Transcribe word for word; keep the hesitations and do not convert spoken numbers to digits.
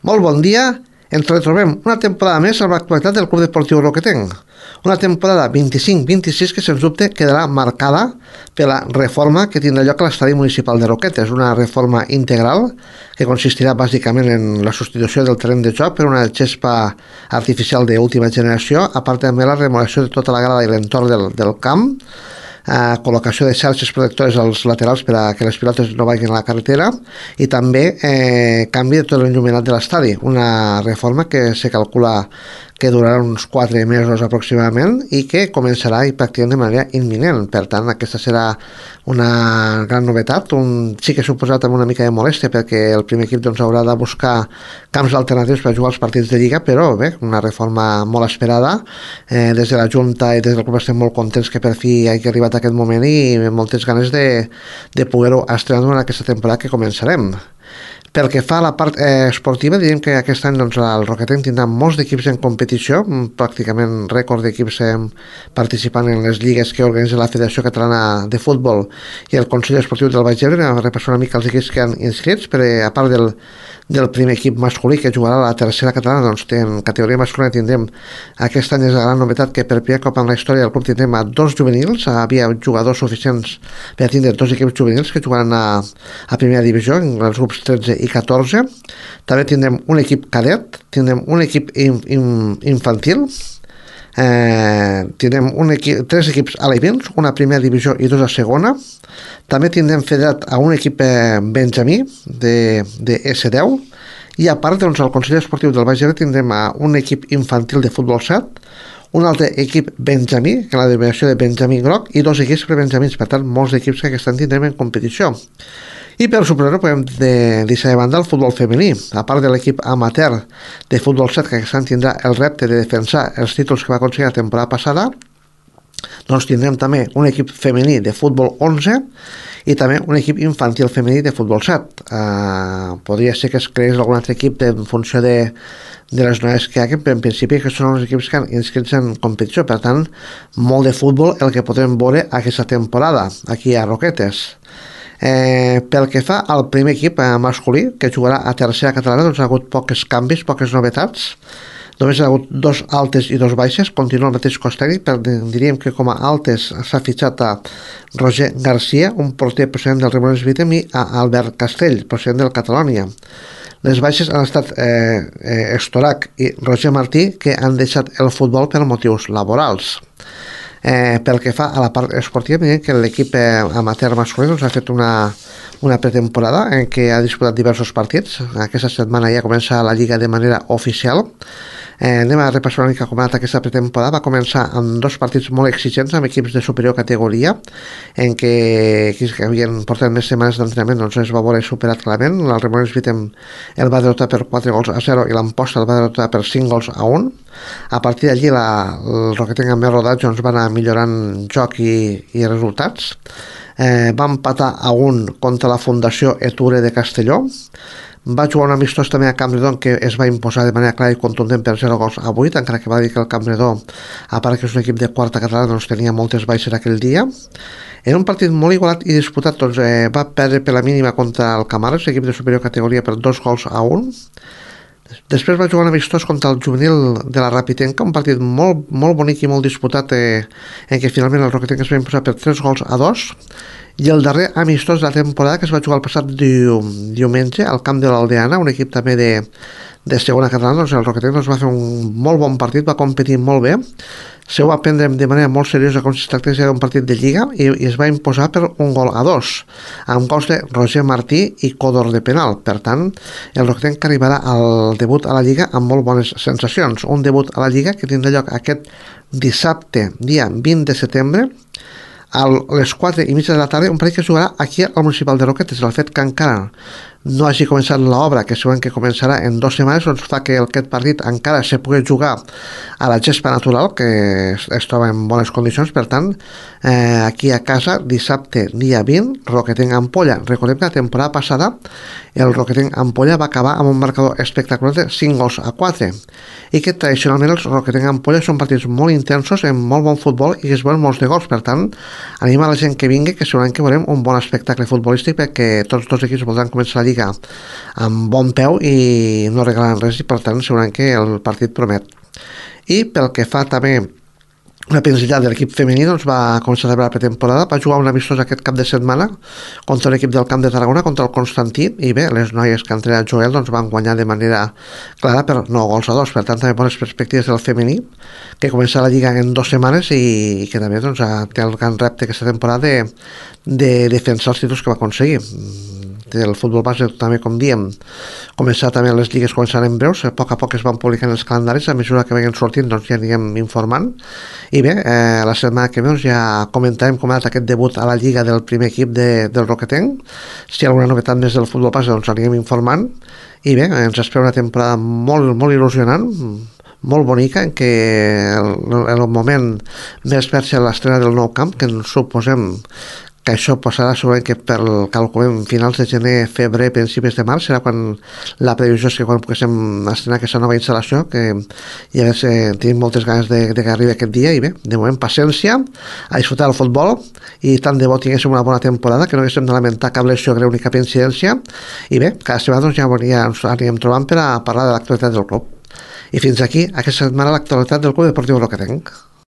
Molt bon dia, ens retrobem una temporada més amb l'actualitat del Club Deportiu Roquetenc. Una temporada vint-i-cinc vint-i-sis que sens dubte quedarà marcada per la reforma que tindrà lloc a l'estadi municipal de Roquetes, una reforma integral que consistirà bàsicament en la substitució del terreny de joc per una gespa artificial d'última generació, a part també la remodelació de tota la grada i l'entorn del, del camp, Uh, col·locació de xarxes protectores als laterals per a que les pilotes no vagin a la carretera i també eh, canvi de tot l'enllumenat de l'estadi, una reforma que se calcula que durarà uns quatre mesos aproximadament i que començarà i pràcticament de manera imminent. Per tant, aquesta serà una gran novetat. Un, sí que ha suposat amb una mica de molèstia perquè el primer equip doncs, haurà de buscar camps alternatius per jugar els partits de Lliga, però bé, una reforma molt esperada. Eh, des de la Junta i des del club estem molt contents que per fi hagi arribat a aquest moment i moltes ganes de, de poder-ho estrenar durant aquesta temporada que començarem. Pel que fa a la part eh, esportiva, diríem que aquest any doncs, el Roquetenc tindrà molts d'equips en competició, pràcticament rècord d'equips eh, participant en les lligues que organitza la Federació Catalana de Futbol i el Consell Esportiu del Baix Ebre. Vam repassar una mica els equips que han inscrits, però a part del, del primer equip masculí que jugarà a la tercera catalana, doncs en categoria masculina tindrem, aquest any és la gran novetat que per primer cop en la història del club tindrem a dos juvenils, havia jugadors suficients per tindre dos equips juvenils que jugaran a, a primera divisió, en els grups tretze i catorze. També tindrem un equip cadet, tindrem un equip in, in, infantil, eh, tindrem un equip, tres equips alevins, una a primera divisió i dos a segona. També tindrem federat a un equip eh, benjamí de, de esse deu i a part doncs, al Consell Esportiu del Baix Ebre tindrem a un equip infantil de futbol set, un altre equip benjamí, que la denominació de benjamí groc, i dos equips prebenjamins, per tant molts equips que aquest any tindrem en competició. I per superar-ho podem de, deixar de banda el futbol femení. A part de l'equip amateur de futbol set que aquest any tindrà el repte de defensar els títols que va aconseguir la temporada passada, doncs tindrem també un equip femení de futbol onze i també un equip infantil femení de futbol set. Uh, podria ser que es creés algun altre equip de, en funció de, de les noves que hi ha, però en principi que són els equips que han inscrits en competició. Per tant, molt de futbol el que podrem veure aquesta temporada aquí a Roquetes. Eh, pel que fa al primer equip eh, masculí que jugarà a tercera catalana, doncs ha hagut pocs canvis, poques novetats. Només ha hagut dos altes i dos baixes, continua el mateix cos tècnic, però diríem que com a altes s'ha fitxat a Roger Garcia, un porter procedent del Remones Vitem, i a Albert Castell, procedent del Catalònia. Les baixes han estat eh, eh, Estorac i Roger Martí, que han deixat el futbol per motius laborals. Eh, pel que fa a la part esportiva, miren que l'equip eh, amateur masculí doncs, ha fet una, una pretemporada en què ha disputat diversos partits. Aquesta setmana ja comença la Lliga de manera oficial. Eh, anem a repassar una mica com ha anat aquesta pretemporada. Va començar amb dos partits molt exigents amb equips de superior categoria, en què equips que havien portat més setmanes d'entrenament doncs es va veure superat clarament. El Remones Vitem el va derrotar per quatre gols a zero i l'Amposta el va derrotar per cinc gols a un. A partir d'allí la, el Roquetenc amb més rodatge doncs, va anar millorant joc i, i resultats. Eh, va empatar a un contra la Fundació Eture de Castelló. Va jugar un amistós també a Campredon que es va imposar de manera clara i contundent per zero gols a vuit, encara que va dir que el Campredon, a part que és un equip de quarta catalana, doncs tenia moltes baixes aquell dia. En un partit molt igualat i disputat, doncs, eh, va perdre per la mínima contra el Camares, equip de superior categoria, per dos gols a un. Després va jugar un amistós contra el juvenil de la Rapitenca, un partit molt, molt bonic i molt disputat, eh, en què finalment el Roquetenc es va imposar per tres gols a dos. I el darrer amistós de la temporada, que es va jugar el passat diumenge al camp de l'Aldeana, un equip també de, de segona catalana, doncs el Roquetenc doncs, va fer un molt bon partit, va competir molt bé, se ho va prendre de manera molt seriosa com si es tractés d'un partit de Lliga i, i es va imposar per un gol a dos, amb gols de Roger Martí i Codor de penal. Per tant, el Roquetenc arribarà al debut a la Lliga amb molt bones sensacions. Un debut a la Lliga que tindrà lloc aquest dissabte, dia vint de setembre, a les quatre i mitja de la tarda, un partit que es jugarà aquí al Municipal de Roquetes. El fet que encara no hagi començat l'obra, que segurament que començarà en dues setmanes, doncs fa que aquest partit encara se pugui jugar a la gespa natural, que es, es troba en bones condicions. Per tant, eh, aquí a casa, dissabte dia vint, Roquetenc Ampolla. Recordem que la temporada passada el Roquetenc Ampolla va acabar amb un marcador espectacular de cinc gols a quatre, i que tradicionalment els Roquetenc Ampolla són partits molt intensos, amb molt bon futbol i que es veuen molts de gols. Per tant, anima a la gent que vingui, que segurament que veurem un bon espectacle futbolístic, perquè tots dos equips voldran començar la Lliga Lliga amb bon peu i no regalen res, i per tant segurament que el partit promet. I pel que fa també la pensitat de l'equip femení, doncs va començar a la pretemporada, va jugar un amistós aquest cap de setmana contra l'equip del Camp de Tarragona, contra el Constantí, i bé, les noies que han entrenat Joel doncs van guanyar de manera clara per nou gols a dos, per tant també bones perspectives del femení, que comença la Lliga en dues setmanes i, i que també doncs, té el gran repte aquesta temporada de, de defensar els títols que va aconseguir. Del futbol base també, com diem, començar també les lligues començant en breus, a poc a poc es van publicant els calendaris, a mesura que vagin sortint doncs ja anirem informant, i bé, eh, la setmana que ve doncs, ja comentarem com ha anat aquest debut a la lliga del primer equip de, del Roquetenc. Si hi ha alguna novetat més del futbol base doncs anirem informant, i bé, ens espera una temporada molt, molt il·lusionant, molt bonica, en què el, en el moment més per ser l'estrena del nou camp, que ens suposem que això passarà segurament que per calculem finals de gener, febrer, principis de març, serà quan la previsió és que quan poguéssim estrenar aquesta nova instal·lació, que ja ves, eh, tenim moltes ganes de, de que arribi aquest dia, i bé, de moment paciència, a disfrutar del futbol, i tant de bo tinguéssim una bona temporada, que no haguéssim de lamentar cap lesió greu ni cap incidència, i bé, cada setmana doncs, ja, ja ens anirem trobant per a parlar de l'actualitat del club. I fins aquí aquesta setmana l'actualitat del Club Deportiu Roquetenc.